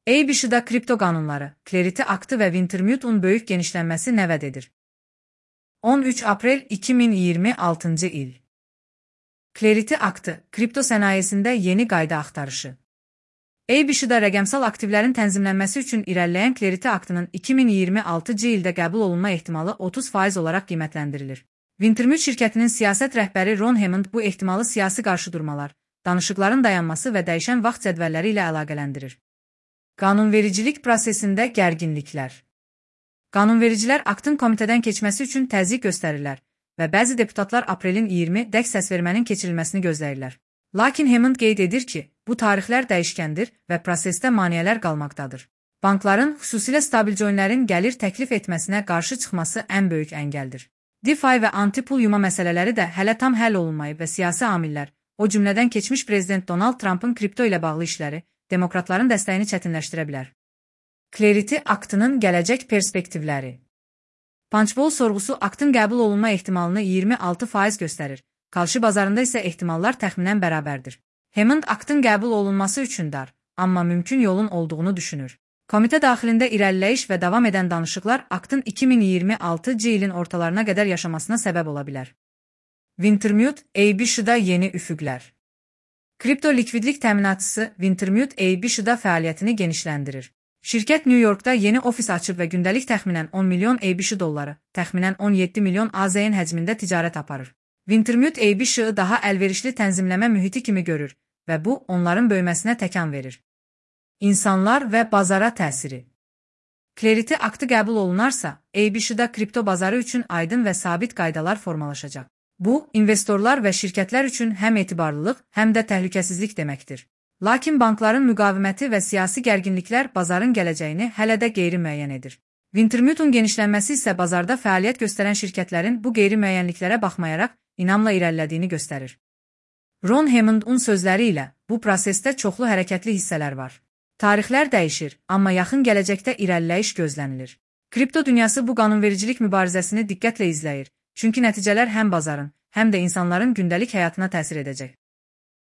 ABC-da kripto qanunları, Clarity aktı və Wintermute-un böyük genişlənməsi nə vəd edir? 13 aprel 2026 il. Clarity aktı, kripto sənayesində yeni qayda axtarışı. ABC-da rəqəmsal aktivlərin tənzimlənməsi üçün irəliləyən Clarity aktının 2026 ildə qəbul olunma ehtimalı 30% olaraq qiymətləndirilir. Wintermute şirkətinin siyasət rəhbəri Ron Hammond bu ehtimalı siyasi qarşıdurmalar, danışıqların dayanması və dəyişən vaxt cədvəlləri ilə əlaqələndirir. Qanunvericilik prosesində gərginliklər. Qanunvericilər aktın komitədən keçməsi üçün təzyiq göstərirlər və bəzi deputatlar aprelin 20-də səsvermənin keçirilməsini gözləyirlər. Lakin Hammond qeyd edir ki, bu tarixlər dəyişkəndir və prosesdə maneələr qalmaqdadır. Bankların, xüsusilə stabil coinlərin gəlir təklif etməsinə qarşı çıxması ən böyük əngəldir. DeFi və anti-pul yuma məsələləri də hələ tam həll olunmayıb və siyasi amillər, o cümlədən keçmiş prezident Donald Trump'ın kripto ilə bağlı işləri, demokratların dəstəyini çətinləşdirə bilər. Clarity aktının gələcək perspektivləri. Punchbowl sorğusu aktın qəbul olunma ehtimalını 26% göstərir, qalşı bazarında isə ehtimallar təxminən bərabərdir. Hammond aktın qəbul olunması üçün dar, amma mümkün yolun olduğunu düşünür. Komitə daxilində irəliləyiş və davam edən danışıqlar aktın 2026 ilin ortalarına qədər yaşamasına səbəb ola bilər. Wintermute, ABC-da yeni üfüqlər. Kripto likvidlik təminatçısı Wintermute ABC-da fəaliyyətini genişləndirir. Şirkət New Yorkda yeni ofis açıb və gündəlik təxminən 10 milyon ABC dolları, təxminən 17 milyon AZN həcmində ticarət aparır. Wintermute ABC-ı daha əlverişli tənzimləmə mühiti kimi görür və bu, onların böyüməsinə təkan verir. İnsanlar və bazara təsiri. Clarity aktı qəbul olunarsa, ABC-da kripto bazarı üçün aydın və sabit qaydalar formalaşacaq. Bu, investorlar və şirkətlər üçün həm etibarlılıq, həm də təhlükəsizlik deməkdir. Lakin bankların müqaviməti və siyasi gərginliklər bazarın gələcəyini hələ də qeyri-müəyyən edir. Wintermute-un genişlənməsi isə bazarda fəaliyyət göstərən şirkətlərin bu qeyri-müəyyənliklərə baxmayaraq inamla irəlilədiyini göstərir. Ron Hammond'un sözləri ilə, bu prosesdə çoxlu hərəkətli hissələr var. Tarixlər dəyişir, amma yaxın gələcəkdə irəliləyiş gözlənilir. Kripto dünyası bu qanunvericilik mübarizəsini diqqətlə izləyir, çünki nəticələr həm bazarın, həm də insanların gündəlik həyatına təsir edəcək.